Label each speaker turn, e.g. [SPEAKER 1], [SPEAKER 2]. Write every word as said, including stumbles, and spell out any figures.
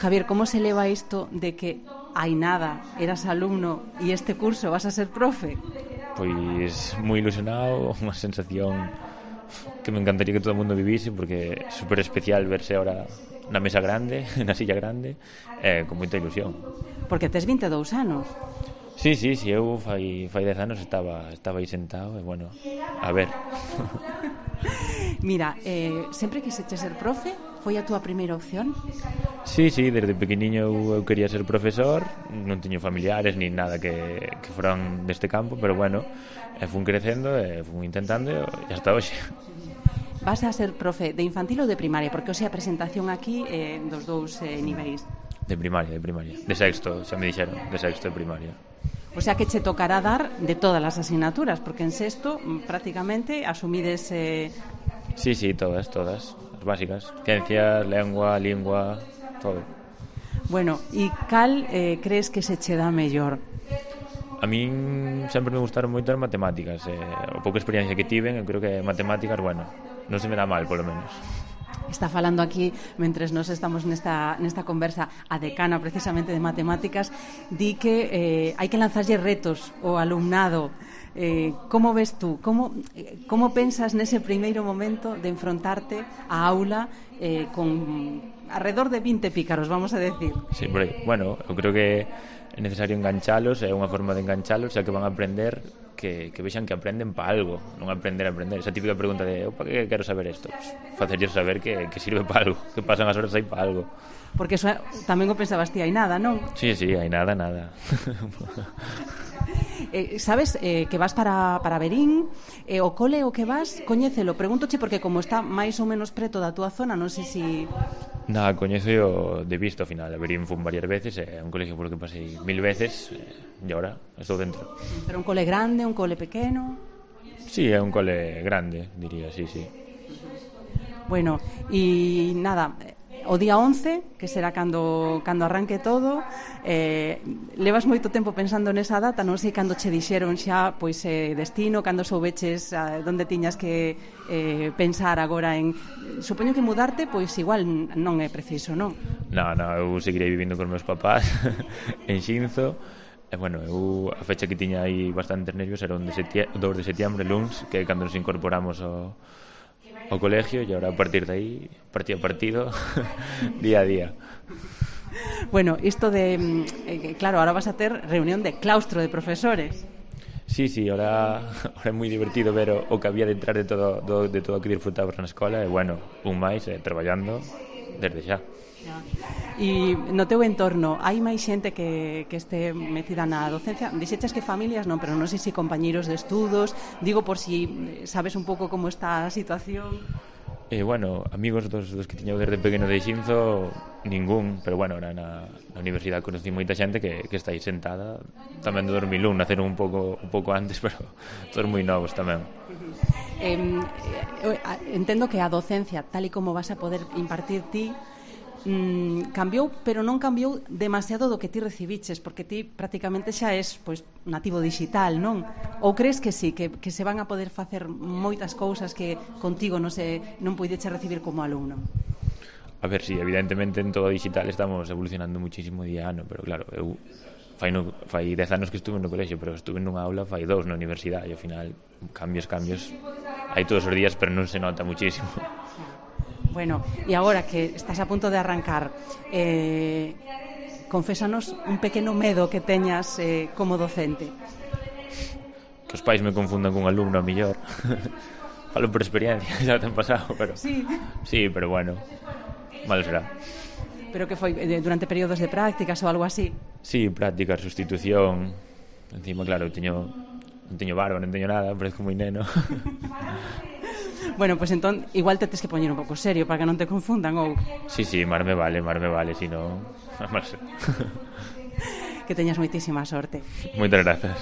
[SPEAKER 1] Javier, como se leva isto de que hai nada, eras alumno e este curso vas a ser profe?
[SPEAKER 2] Pois moi ilusionado, unha sensación que me encantaría que todo o mundo vivise, porque é super especial verse ahora na mesa grande, na silla grande, eh, con moita ilusión.
[SPEAKER 1] Porque tes vinte e dous anos.
[SPEAKER 2] Sí, sí, sí, eu fai, fai dez anos estaba, estaba aí sentado e, bueno, a ver.
[SPEAKER 1] Mira, eh, sempre quixeche ser profe? Foi a túa primeira opción?
[SPEAKER 2] Sí, sí, desde pequeniño eu quería ser profesor, non teño familiares ni nada que, que foran deste campo, pero bueno, e fun crecendo e fun intentando e hasta hoxe.
[SPEAKER 1] Vas a ser profe de infantil ou de primaria? Porque hoxe a presentación aquí é eh, dos dous eh, niveis.
[SPEAKER 2] De primaria, de primaria. De sexto, xa me dixeron, de sexto de primaria.
[SPEAKER 1] O sea que che tocará dar de todas as asignaturas, porque en sexto prácticamente asumides... Eh...
[SPEAKER 2] Sí, sí, todas, todas, as básicas. Ciencias, lengua, lingua, todo.
[SPEAKER 1] Bueno, e cal eh, crees que se che dá mellor?
[SPEAKER 2] A min sempre me gustaron moito as matemáticas. Eh, a pouca experiencia que tiven, eu creo que matemáticas, bueno, non se me dá mal, polo menos.
[SPEAKER 1] Está falando aquí, mentres nos estamos nesta, nesta conversa, a decana precisamente de matemáticas, di que eh, hai que lanzarlle retos ao alumnado. Eh, como ves tú? Como, eh, como pensas nese primeiro momento de enfrontarte á aula eh, con alrededor de vinte pícaros, vamos a decir?
[SPEAKER 2] Sí, por aí. Bueno, eu creo que é necesario enganchalos, é unha forma de enganchalos, xa que van a aprender que, que vexan que aprenden pa algo, non aprender a aprender. Esa típica pregunta de, opa, que quero saber isto? Pues, facerlles saber que, que sirve pa algo, que pasan as horas aí pa algo.
[SPEAKER 1] Porque eso tamén o pensabas ti, hai nada, non?
[SPEAKER 2] Sí, sí, hai nada, nada.
[SPEAKER 1] Eh, sabes eh, que vas para, para Verín, eh, o cole o que vas, coñécelo, pregúntoche porque como está máis ou menos preto da túa zona, non sei si...
[SPEAKER 2] Nada, coñezo yo de visto ao final. A Verín fun varias veces, é eh, un colegio polo que pasei mil veces eh, e agora estou dentro.
[SPEAKER 1] Pero un cole grande, un cole pequeno?
[SPEAKER 2] Sí, é un cole grande, diría, sí, sí.
[SPEAKER 1] Bueno, e nada, o día once, que será cando, cando arranque todo, eh, levas moito tempo pensando nesa data, non sei cando che dixeron xa pois eh, destino, cando soubeches eh, onde tiñas que eh, pensar agora en... Supoño que mudarte, pois igual non é preciso, non?
[SPEAKER 2] Non, non, eu seguirei vivindo con meus papás en Xinzo. E, bueno, eu a fecha que tiña aí bastantes nervios era o dous de setiembre, luns, que é cando nos incorporamos ao... ao colegio, e agora a partir de aí, partido a partido, día a día.
[SPEAKER 1] Bueno, isto de... Eh, claro, ahora vas a ter reunión de claustro de profesores.
[SPEAKER 2] Sí, sí, ahora, ahora é moi divertido ver o, o que había detrás de todo, do, de todo o que disfrutabas na escola, e, bueno, un máis, eh, traballando desde xa.
[SPEAKER 1] E no teu entorno hai máis xente que, que este metida na docencia? Dixeches que familias non, pero non sei se compañeiros de estudos, digo por si sabes un pouco como está a situación.
[SPEAKER 2] Eh, bueno, amigos dos, dos que tiña desde pequeno de Xinzo, ningún, pero bueno, era na, na universidade conocí moita xente que, que está aí sentada tamén do dos mil un, naceron un pouco, un pouco antes, pero todos moi novos tamén.
[SPEAKER 1] Eh, entendo que a docencia, tal e como vas a poder impartir ti, Mm, cambiou, pero non cambiou demasiado do que ti recibiches, porque ti prácticamente xa és pois, nativo digital, non? Ou crees que sí, que, que se van a poder facer moitas cousas que contigo non, se, non puideche recibir como alumno?
[SPEAKER 2] A ver, sí, evidentemente en todo digital estamos evolucionando muchísimo día a ano, pero claro, eu fai, no, fai dez anos que estuve no colexio, pero estuve nunha aula fai dous na universidade, e ao final cambios, cambios hai todos os días, pero non se nota muchísimo.
[SPEAKER 1] Bueno, e agora que estás a punto de arrancar, eh, confésanos un pequeno medo que teñas eh, como docente.
[SPEAKER 2] Que os pais me confundan cun alumno a millor. Falo por experiencia, xa ten pasado, pero...
[SPEAKER 1] Sí.
[SPEAKER 2] Sí, pero bueno, malo será.
[SPEAKER 1] Pero que foi durante períodos de prácticas ou algo así?
[SPEAKER 2] Sí, prácticas, sustitución. Encima, claro, teño, non teño barba, non teño nada, parezco moi neno.
[SPEAKER 1] Bueno, pois pues entón igual te tes que poñer un pouco serio para que non te confundan ou...
[SPEAKER 2] Sí, sí, mar me vale, mar me vale, si non...
[SPEAKER 1] Que teñas moitísima sorte.
[SPEAKER 2] Moitas grazas.